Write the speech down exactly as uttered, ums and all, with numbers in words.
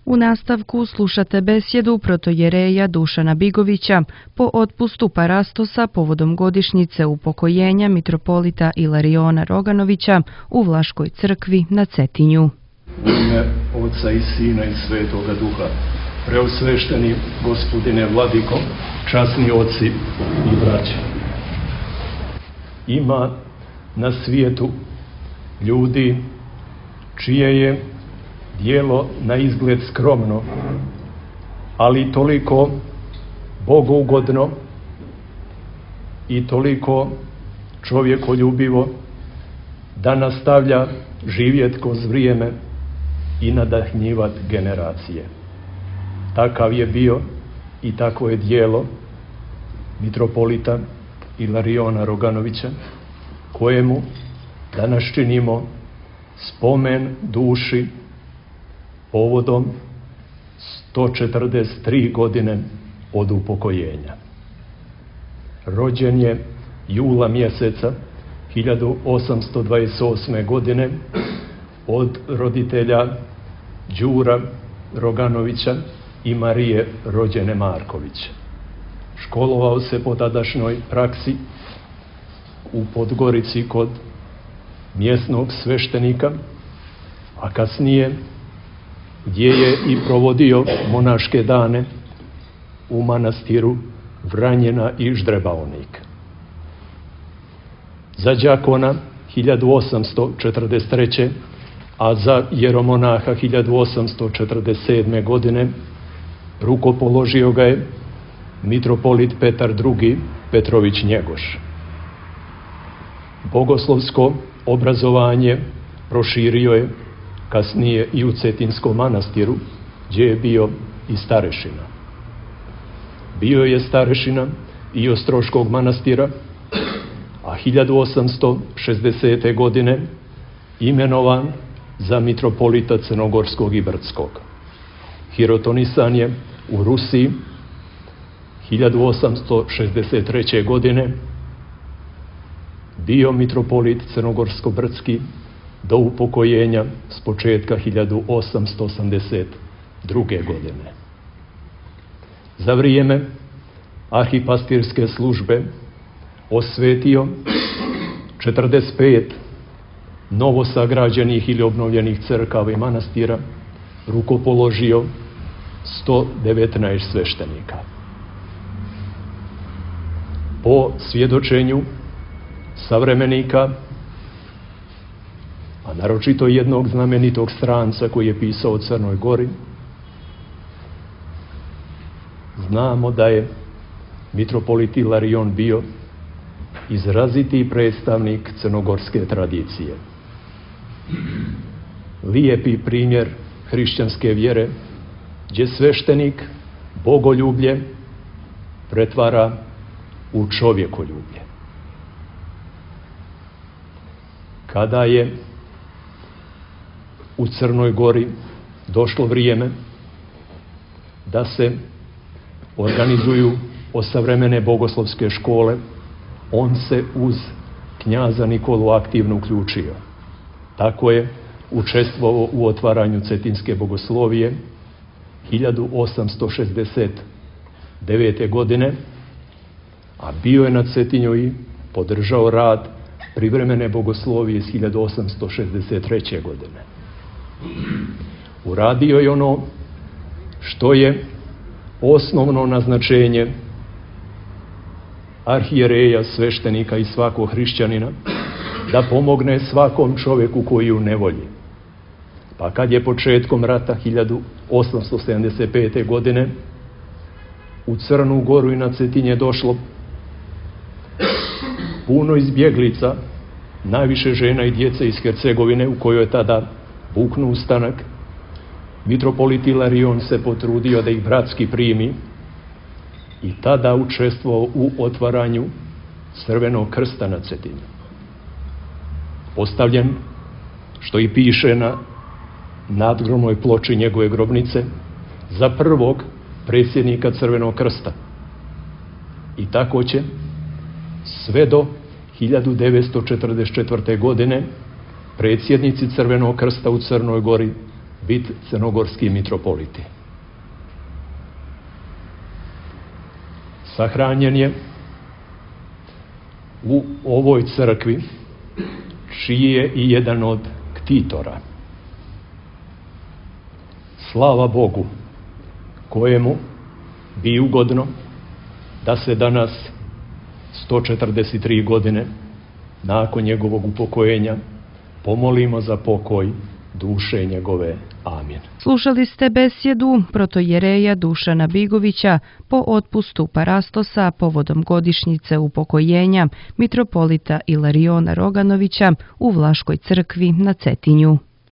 U nastavku slušate besjedu protojereja Dušana Bigovića po otpustu parastosa povodom godišnjice upokojenja mitropolita Ilariona Roganovića u Vlaškoj crkvi na Cetinju. U ime Oca i Sina i Svetoga Duha, preosvešteni gospodine Vladiko, časni oci i braće. Ima na svijetu ljudi čije je djelo na izgled skromno, ali toliko bogougodno i toliko čovjekoljubivo da nastavlja živjet kroz vrijeme i nadahnjivat generacije. Takav je bio i tako je djelo mitropolita Ilariona Roganovića, kojemu danas činimo spomen duši povodom sto četrdeset tri godine od upokojenja. Rođen je jula mjeseca hiljadu osamsto dvadeset osme. godine od roditelja Đura Roganovića i Marije rođene Marković. Školovao se po tadašnjoj praksi u Podgorici kod mjesnog sveštenika, a kasnije gdje je i provodio monaške dane u manastiru Vranjena i Ždrebaonik. Za đakona hiljadu osamsto četrdeset treće. a za jeromonaha hiljadu osamsto četrdeset sedme. godine rukopoložio ga je mitropolit Petar drugi. Petrović Njegoš. Bogoslovsko obrazovanje proširio je kasnije i u Cetinskom manastiru, gdje je bio i starešina. Bio je starešina i Ostroškog manastira, a hiljadu osamsto šezdesete. godine imenovan za mitropolita Crnogorskog i Brdskog. Hirotonisan je u Rusiji hiljadu osamsto šezdeset treće. godine, bio mitropolit Crnogorsko-Brdski do upokojenja s početka hiljadu osamsto osamdeset druge. godine. Za vrijeme arhipastirske službe osvetio četrdeset pet novosagrađenih ili obnovljenih crkava i manastira, rukopoložio sto devetnaest sveštenika. Po svjedočenju savremenika, a naročito jednog znamenitog stranca koji je pisao o Crnoj Gori, znamo da je mitropolit Ilarion bio izraziti predstavnik crnogorske tradicije. Lijepi primjer hrišćanske vjere, gdje sveštenik bogoljublje pretvara u čovjekoljublje. Kada je u Crnoj Gori došlo vrijeme da se organizuju osavremene bogoslovske škole, on se uz knjaza Nikolu aktivno uključio. Tako je učestvovao u otvaranju Cetinske bogoslovije hiljadu osamsto šezdeset devete. godine, a bio je na Cetinju i podržao rad privremene bogoslovije iz hiljadu osamsto šezdeset treće. godine. Uradio je ono što je osnovno naznačenje arhijereja, sveštenika i svakog hrišćanina, da pomogne svakom čovjeku koji je u nevolji. Pa kad je početkom rata hiljadu osamsto sedamdeset pete. godine u Crnu Goru i na Cetinje došlo puno izbjeglica, najviše žena i djece iz Hercegovine, u kojoj je tada buknuo ustanak, mitropolit Ilarion se potrudio da ih bratski primi i tada učestvovao u otvaranju Crvenog krsta na Cetinju. Postavljen, što i piše na nadgrobnoj ploči njegove grobnice, za prvog predsjednika Crvenog krsta. I tako će sve do hiljadu devetsto četrdeset četvrte. godine predsjednici Crvenog krsta u Crnoj Gori biti crnogorski mitropoliti. Sahranjen je u ovoj crkvi, čiji je i jedan od ktitora. Slava Bogu, kojemu bi ugodno da se danas, sto četrdeset tri godine nakon njegovog upokojenja, pomolimo za pokoj duše njegove. Amin. Slušali ste besjedu protojereja Dušana Bigovića po otpustu parastosa povodom godišnjice upokojenja mitropolita Ilariona Roganovića u Vlaškoj crkvi na Cetinju.